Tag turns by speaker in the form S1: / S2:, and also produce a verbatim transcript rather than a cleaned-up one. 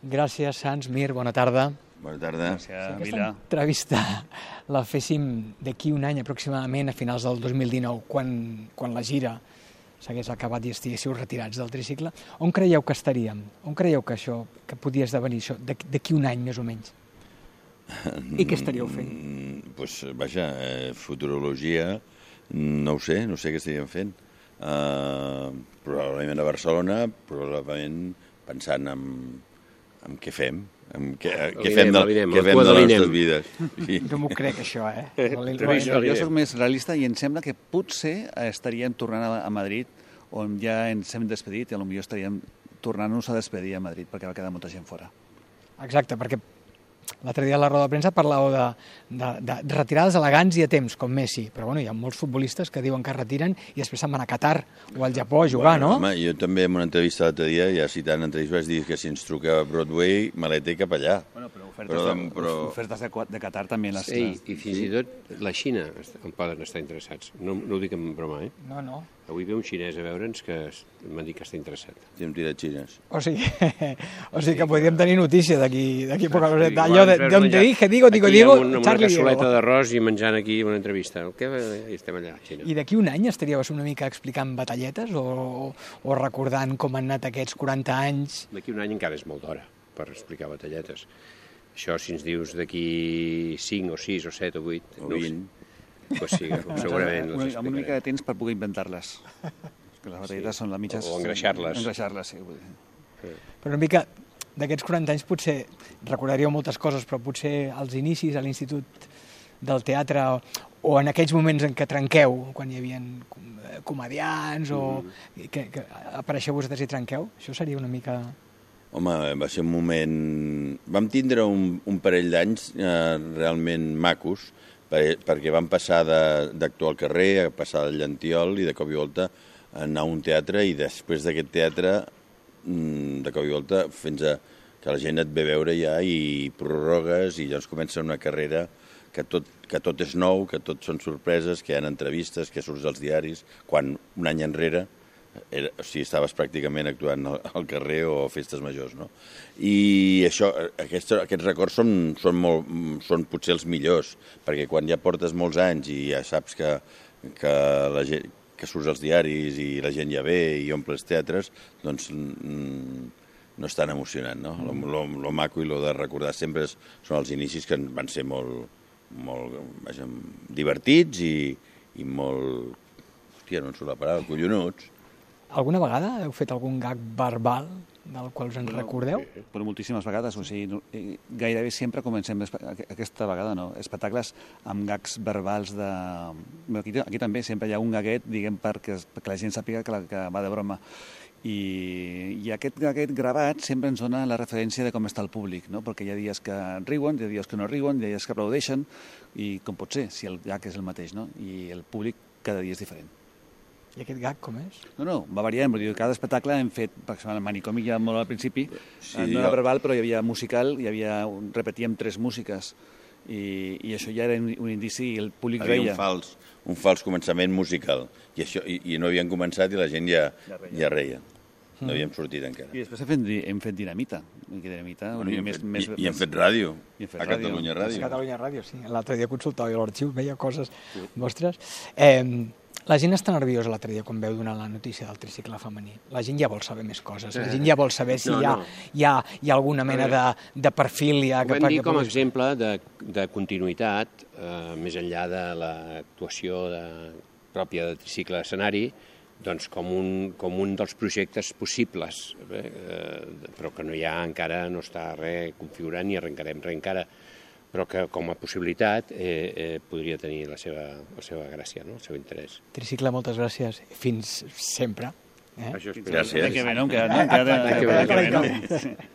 S1: Gràcies, Sans, Mir, bona tarda.
S2: Bona tarda.
S1: Si aquesta entrevista la féssim d'aquí un any aproximadament, a finals del dos mil dinou, quan, quan la gira s'hagués acabat i estiguéssiu retirats del tricicle, on creieu que estaríem? On creieu que això, que podia esdevenir això, d'aquí un any més o menys? I què estaríeu fent?
S2: Doncs, pues, vaja, eh, futurologia, no ho sé, no sé què estaríem fent. Uh, probablement a Barcelona, probablement pensant en, en què fem, en què, què fem de, què fem de les nostres vides.
S1: Sí. Jo m'ho crec, això, eh?
S3: Jo, jo soc més realista i em sembla que potser estaríem tornant a, a Madrid, on ja ens hem despedit, i potser estaríem tornant-nos a despedir a Madrid, perquè va quedar molta gent fora.
S1: Exacte, perquè l'altre dia a la roda de premsa parlàveu de, de, de retirades elegants i a temps, com Messi, però bueno, hi ha molts futbolistes que diuen que es retiren i després se'n van a Qatar o al Japó a jugar,
S2: bueno,
S1: no?
S2: Home, jo també en una entrevista l'altre dia, ja citant entrevistes, vaig dir que si ens truca a Broadway, maleta i cap allà.
S3: Bueno, però ofertes, però, de, però... ofertes de, de Qatar també les...
S4: Sí, i fins i tot la Xina en poden estar interessats. No, no ho dic en broma, eh?
S1: No, no.
S4: Avui ve un xinès a veure'ns que m'ha dit que està interessat.
S2: Estem tirat xines.
S1: O sigui, o sigui que podríem tenir notícia d'aquí d'aquí poca coseta. Allò d'on te dije, digo, digo, digo,
S4: Charlie Diego. Amb una cassoleta d'arròs i menjant aquí una entrevista. Què? I estem allà, a Xina.
S1: I d'aquí un any estaríeu una mica explicant batalletes o, o recordant com han anat aquests quaranta anys?
S4: D'aquí un any encara és molt d'hora per explicar batalletes. Això, si ens dius d'aquí cinc o sis o set o vuit...
S2: O vint...
S4: Pues sí, segurament les explicarem.
S3: Amb una mica de temps per poder inventar-les. Que les batalletes són les mitges...
S4: O engreixar-les.
S3: Engreixar-les, sí.
S1: Però una mica d'aquests quaranta anys potser recordaríeu moltes coses, però potser als inicis a l'Institut del Teatre o en aquells moments en què trenqueu, quan hi havia comedians o mm. que, que apareixeu vosaltres i trenqueu, això seria una mica...
S2: Home, va ser un moment... Vam tindre un, un parell d'anys eh, realment macos, perquè vam passar d'actuar al carrer, a passar al Llantiol i de cop i volta anar a un teatre i després d'aquest teatre, de cop i volta, fins a que la gent et ve veure ja i prorrogues i llavors comença una carrera que tot, que tot és nou, que tot són sorpreses, que hi ha entrevistes, que surts als diaris, quan un any enrere era, o sigui, estaves pràcticament actuant al carrer o a festes majors, no? I això, aquests, aquests records són, són, molt, són potser els millors, perquè quan ja portes molts anys i ja saps que, que, la gent, que surts als diaris i la gent ja ve i omples teatres, doncs no és tan emocionant, no? Lo, lo, lo maco i lo de recordar sempre és, són els inicis que van ser molt, molt vaja, divertits i, i molt... Hòstia, no em surt la paraula, collonuts.
S1: Alguna vegada heu fet algun gag verbal del qual us en bueno, recordeu?
S3: Sí, però moltíssimes vegades, o sigui, gairebé sempre comencem, aquesta vegada no, espectacles amb gags verbals de... Aquí, aquí també sempre hi ha un gaguet, diguem, perquè, perquè la gent sàpiga que, la, que va de broma. I, i aquest gaguet gravat sempre ens dona la referència de com està el públic, no? Perquè hi ha dies que riuen, hi ha dies que no riuen, hi ha dies que aplaudeixen, i com pot ser, si el gag és el mateix, no? I el públic cada dia és diferent.
S1: I aquest gag com és?
S3: No, no, va variant, vull dir, cada espectacle hem fet, per exemple, el manicomi ja molt al principi,
S2: sí,
S3: no era verbal, però hi havia musical, hi havia, repetíem tres músiques, i, i això ja era un, un indici i el públic
S2: havia
S3: veia.
S2: Un fals, un fals començament musical, i, això, i, i no havien començat i la gent ja, ja reia. Ja reia. No mm. havíem sortit encara.
S3: I després hem fet, hem fet dinamita. dinamita
S2: bueno, i, hem
S3: més,
S2: fet,
S3: més,
S2: i, i hem fet ràdio,
S3: i hem fet
S2: a
S3: ràdio.
S2: Catalunya Ràdio.
S1: A Catalunya Ràdio, sí. L'altre dia consultava jo l'arxiu, veia coses sí. vostres. Eh, La gent està nerviosa l'altre dia quan veu donar la notícia del tricicle femení. La gent ja vol saber més coses. La gent ja vol saber si no, hi, ha, no. hi, ha, hi ha alguna mena de, de perfil. Ja,
S4: ho vam dir com a exemple de, de continuïtat, eh, més enllà de l'actuació de, pròpia de tricicle d'escenari, doncs com un, com un dels projectes possibles, eh, però que no hi ha encara, no està res configurat ni arrencarem res encara, però que com a possibilitat eh, eh, podria tenir la seva, la seva gràcia, no? El seu interès.
S1: Tricicle, moltes gràcies. Fins sempre. Eh?
S4: Això
S2: gràcies.
S3: Que bé, no? Que, no? Que, que, que, que, que, que, que, que, que, que,